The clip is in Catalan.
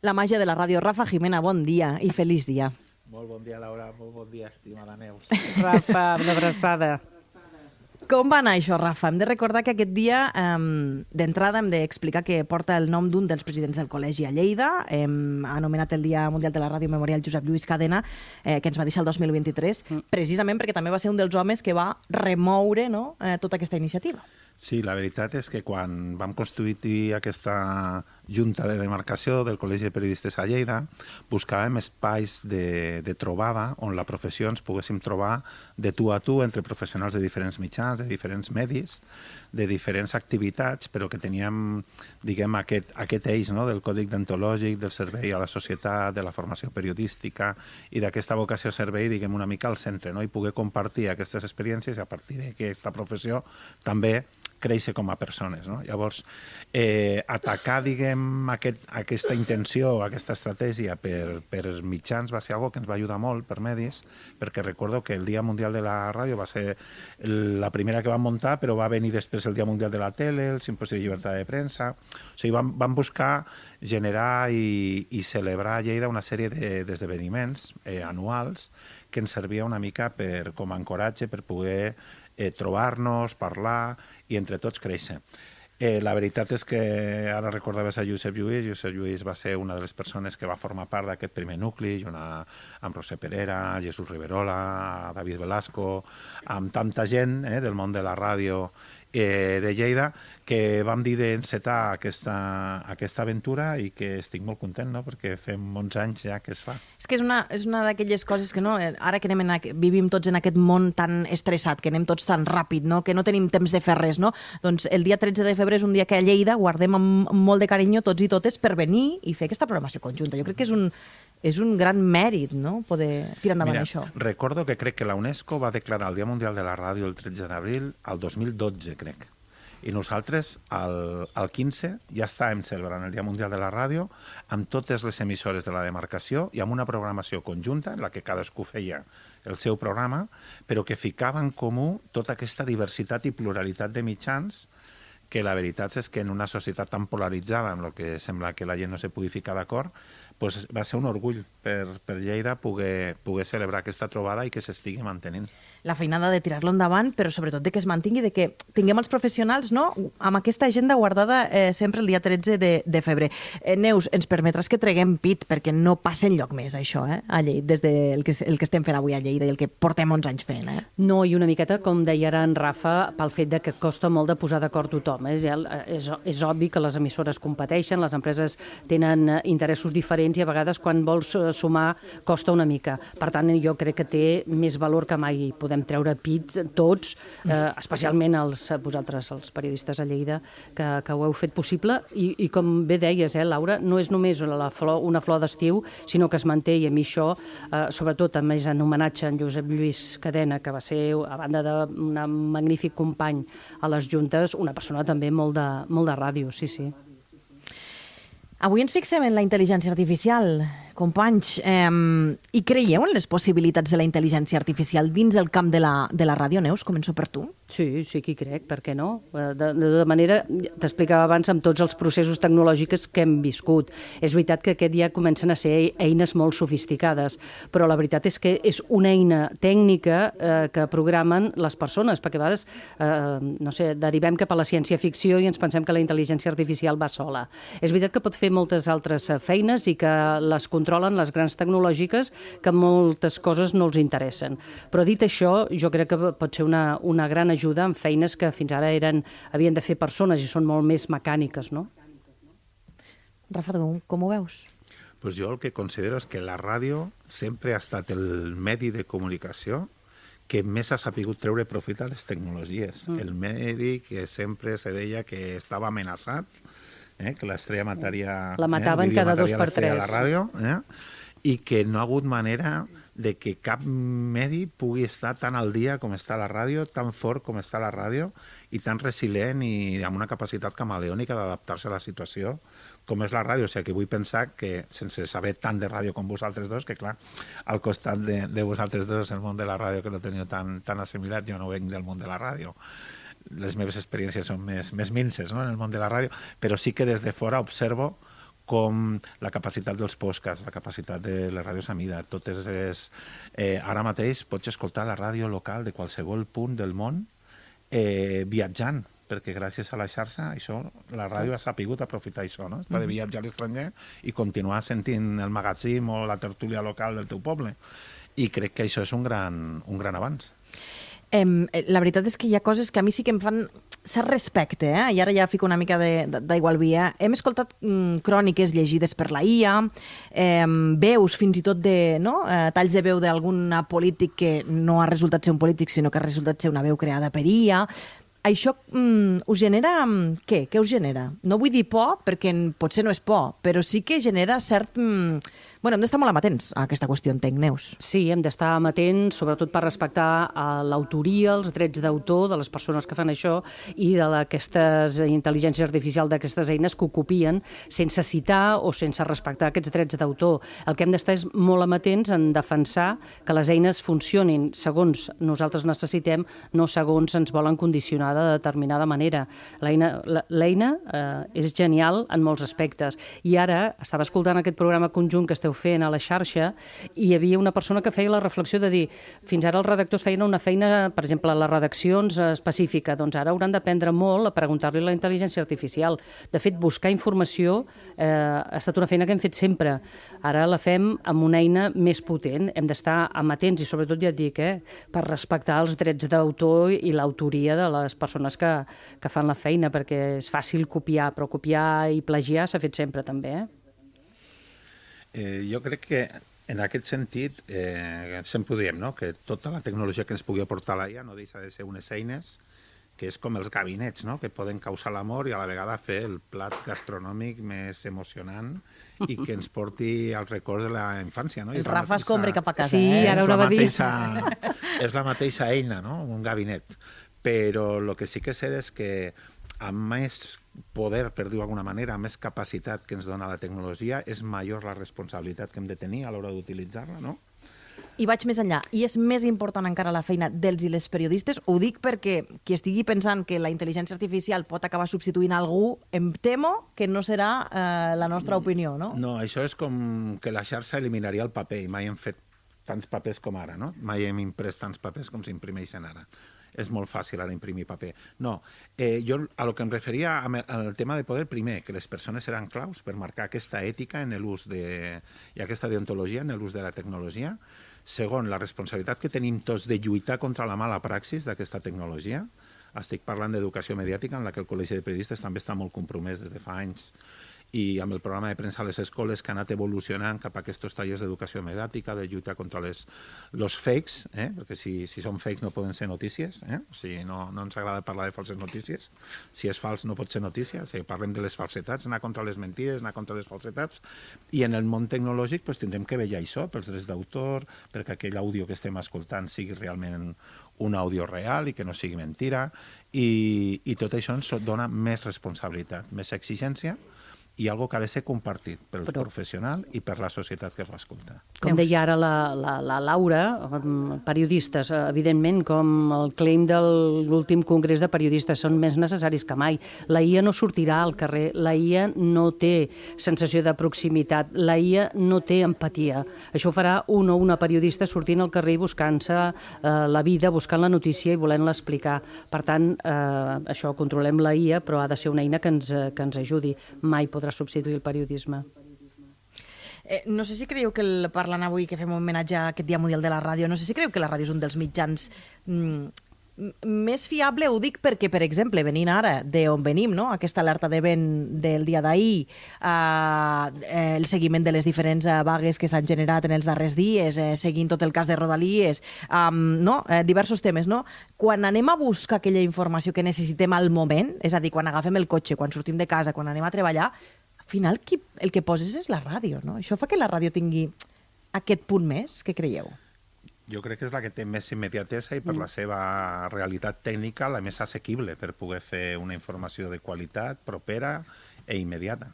La màgia de la ràdio. Rafa Jimena, bon dia i feliç dia. Molt bon dia, Laura. Molt bon dia, estimada Neus. Rafa, una abraçada. Com va anar això, Rafa? Hem de recordar que aquest dia, d'entrada, hem d'explicar que porta el nom d'un dels presidents del col·legi a Lleida. Hem anomenat el Dia Mundial de la Ràdio Memorial Josep Lluís Cadena, que ens va deixar el 2023, precisament perquè també va ser un dels homes que va remoure, no?, tota aquesta iniciativa. Sí, la veritat és que quan vam constituir aquesta junta de demarcació del Col·legi de Periodistes a Lleida, buscàvem espais de trobada on la professió ens poguéssim trobar de tu a tu entre professionals de diferents mitjans, de diferents medis, de diferents activitats, però que teníem, diguem, aquest eix, no?, del còdic deontològic, del servei a la societat, de la formació periodística i d'aquesta vocació servei, diguem, una mica al centre, no?, i poder compartir aquestes experiències i a partir d'aquesta professió també créixer com a persones, no? Llavors, atacar, diguem, aquesta intenció, aquesta estratègia per mitjans va ser algo que ens va ajudar molt per medis, perquè recordo que el Dia Mundial de la Ràdio va ser la primera que vam muntar, però va venir després el Dia Mundial de la Tele, el Simposi de Llibertat de Premsa. O sigui, vam buscar generar i celebrar a Lleida una sèrie d'esdeveniments anuals que ens servia una mica com a ancoratge per poder trobar-nos, parlar i entre tots créixer. La veritat és que ara recordaves a Josep Lluís. Josep Lluís va ser una de les persones que va formar part d'aquest primer nucli, amb Roser Perera, Jesús Riverola, David Velasco, amb tanta gent del món de la ràdio de Lleida, que vam dir d'encetar aquesta aventura i que estic molt content, no?, perquè fem molts anys ja que es fa. És que és una d'aquelles coses que, no, ara que vivim tots en aquest món tan estressat, que anem tots tan ràpid, no?, que no tenim temps de fer res, no? Doncs el dia 13 de febrer és un dia que a Lleida guardem amb molt de carinyo tots i totes per venir i fer aquesta programació conjunta. Jo crec que és un gran mèrit, no?, poder tirar endavant això. Recordo que crec que la UNESCO va declarar el Dia Mundial de la Ràdio el 13 d'abril al 2012, crec. I nosaltres, al 15, ja estàvem celebrant el Dia Mundial de la Ràdio amb totes les emissores de la demarcació i amb una programació conjunta en la que cadascú feia el seu programa, però que ficava en comú tota aquesta diversitat i pluralitat de mitjans que la veritat és que en una societat tan polaritzada, amb el que sembla que la gent no se pugui ficar d'acord, doncs va ser un orgull per Lleida poder celebrar aquesta trobada i que s'estigui mantenint. La feinada de tirar-lo endavant, però sobretot de que es mantingui, de que tinguem els professionals, no?, amb aquesta agenda guardada sempre el dia 13 de febrer. Neus, ens permetràs que treguem pit perquè no passa enlloc més això, a Lleida, des del que estem fent avui a Lleida i el que portem 11 anys fent. No, i una miqueta, com deia ara en Rafa, pel fet de que costa molt de posar d'acord tothom. És obvi que les emissores competeixen, les empreses tenen interessos diferents i a vegades quan vols sumar costa una mica. Per tant, jo crec que té més valor que mai. Podem treure pit tots, especialment vosaltres, els periodistes a Lleida, que ho heu fet possible. I com bé deies, Laura, no és només una flor d'estiu, sinó que es manté, i a mi això, sobretot a més en homenatge a en Josep Lluís Cadena, que va ser, a banda d'un magnífic company a les juntes, una persona també molt de ràdio, sí, sí. Avui ens fixem en la intel·ligència artificial, companys, i creieu en les possibilitats de la intel·ligència artificial dins el camp de la ràdio? Neus, començo per tu. Sí, sí que hi crec, per què no? De manera, t'explicava abans, amb tots els processos tecnològics que hem viscut. És veritat que aquest ja comencen a ser eines molt sofisticades, però la veritat és que és una eina tècnica que programen les persones, perquè a vegades, no sé, derivem cap a la ciència-ficció i ens pensem que la intel·ligència artificial va sola. És veritat que pot fer moltes altres feines i que les controlen les grans tecnològiques, que moltes coses no els interessen. Però dit això, jo crec que pot ser una gran ajuda en feines que fins ara havien de fer persones i són molt més mecàniques, no? Rafa, com ho veus? Pues jo el que considero és que la ràdio sempre ha estat el medi de comunicació que més ha sapigut treure profit a les tecnologies. El medi que sempre se deia que estava amenaçat, que l'estrella mataria... La mataven cada 2 per 3. A la ràdio, i que no ha hagut manera de que cap medi pugui estar tan al dia com està la ràdio, tan fort com està la ràdio, i tan resilient i amb una capacitat camaleònica d'adaptar-se a la situació com és la ràdio. O sigui, que vull pensar que, sense saber tant de ràdio com vosaltres dos, que clar, al costat de vosaltres dos el món de la ràdio que no teniu tan assimilat, jo no venc del món de la ràdio, les meves experiències són més minces, no?, en el món de la ràdio, però sí que des de fora observo com la capacitat dels podcasts, la capacitat de les ràdios a mida, totes és... Ara mateix pots escoltar la ràdio local de qualsevol punt del món viatjant, perquè gràcies a la xarxa això, la ràdio ha sapigut aprofitar això, no? De viatjar a l'estranger i continuar sentint el magatzim o la tertúlia local del teu poble. I crec que això és un gran avanç. La veritat és que hi ha coses que a mi sí que em fan cert respecte, i ara ja fico una mica d'aigua al vi. Hem escoltat cròniques llegides per la IA, veus fins i tot de talls de veu d'algun polític que no ha resultat ser un polític, sinó que ha resultat ser una veu creada per IA. Això us genera... Què? Què us genera? No vull dir por, perquè potser no és por, però sí que genera cert... Bueno, hem d'estar molt amatents a aquesta qüestió, entenc, Neus. Sí, hem d'estar amatents, sobretot per respectar l'autoria, els drets d'autor de les persones que fan això i d'aquestes intel·ligències artificials, d'aquestes eines que ho copien sense citar o sense respectar aquests drets d'autor. El que hem d'estar és molt amatents en defensar que les eines funcionin segons nosaltres necessitem, no segons ens volen condicionar de determinada manera. L'eina és genial en molts aspectes. I ara estava escoltant aquest programa conjunt que esteu fent a la xarxa i hi havia una persona que feia la reflexió de dir fins ara els redactors feien una feina, per exemple, a les redaccions específica, doncs ara hauran d'aprendre molt a preguntar-li a la intel·ligència artificial. De fet, buscar informació ha estat una feina que hem fet sempre. Ara la fem amb una eina més potent. Hem d'estar amatents i sobretot, ja et dic, per respectar els drets d'autor i l'autoria de les persones que fan la feina, perquè és fàcil copiar, però copiar i plagiar s'ha fet sempre també, Jo crec que en aquest sentit sempre ho diem, no? Que tota la tecnologia que ens pugui aportar la IA no deixa de ser unes eines que és com els gabinets, no? Que poden causar l'amor i a la vegada fer el plat gastronòmic més emocionant i que ens porti als records de la infància, no? El Rafa escombra cap a casa. Sí, ara ho anava a dir. És la mateixa eina, no? Un gabinet. Però el que sí que sé és que amb més poder, per dir-ho d'alguna manera, amb més capacitat que ens dona la tecnologia, és major la responsabilitat que hem de tenir a l'hora d'utilitzar-la, no? I vaig més enllà. I és més important encara la feina dels i les periodistes. Ho dic perquè qui estigui pensant que la intel·ligència artificial pot acabar substituint algú, em temo que no serà la nostra opinió, no? No, això és com que la xarxa eliminaria el paper i mai hem fet tants papers com ara, no? Mai hem imprès tants papers com s'imprimeixen ara. És molt fàcil ara imprimir paper. No, jo a lo que em referia al tema de poder, primer, que les persones seran claus per marcar aquesta ètica en l'ús i aquesta deontologia en l'ús de la tecnologia. Segon, la responsabilitat que tenim tots de lluitar contra la mala praxis d'aquesta tecnologia. Estic parlant d'educació mediàtica, en la que el Col·legi de Periodistes també està molt compromès des de fa anys i amb el programa de premsa a les escoles que ha anat evolucionant cap a aquests tallers d'educació mediàtica, de lluita contra els fakes, perquè si són fakes no poden ser notícies, o sigui, no ens agrada parlar de falses notícies, si és fals no pot ser notícia, o sigui, parlem de les falsetats, anar contra les mentides, anar contra les falsetats, i en el món tecnològic tindrem que vetllar això, pels drets d'autor, perquè aquell àudio que estem escoltant sigui realment un àudio real i que no sigui mentira, i tot això ens dona més responsabilitat, més exigència, i algo que ha de ser compartit pel professional i per la societat que l'escolta. Com deia ara la Laura, periodistes, evidentment, com el claim de l'últim congrés de periodistes, són més necessaris que mai. La IA no sortirà al carrer, la IA no té sensació de proximitat, la IA no té empatia. Això ho farà un o una periodista sortint al carrer buscant-se la vida, buscant la notícia i volent-la explicar. Per tant, això, controlem la IA, però ha de ser una eina que ens ajudi. Mai podrà substituir el periodisme. No sé si creieu que parlant avui que fem un homenatge a aquest Dia Mundial de la Ràdio, no sé si creieu que la ràdio és un dels mitjans més fiable, ho dic perquè, per exemple, venint ara d'on venim, no? Aquesta alerta de vent del dia d'ahir, el seguiment de les diferents vagues que s'han generat en els darrers dies, seguint tot el cas de Rodalies, diversos temes, no? Quan anem a buscar aquella informació que necessitem al moment, és a dir, quan agafem el cotxe, quan sortim de casa, quan anem a treballar, al final el que poses és la ràdio, no? Això fa que la ràdio tingui aquest punt més, què creieu? Jo crec que és la que té més immediatesa i per la seva realitat tècnica la més assequible per poder fer una informació de qualitat, propera i immediata.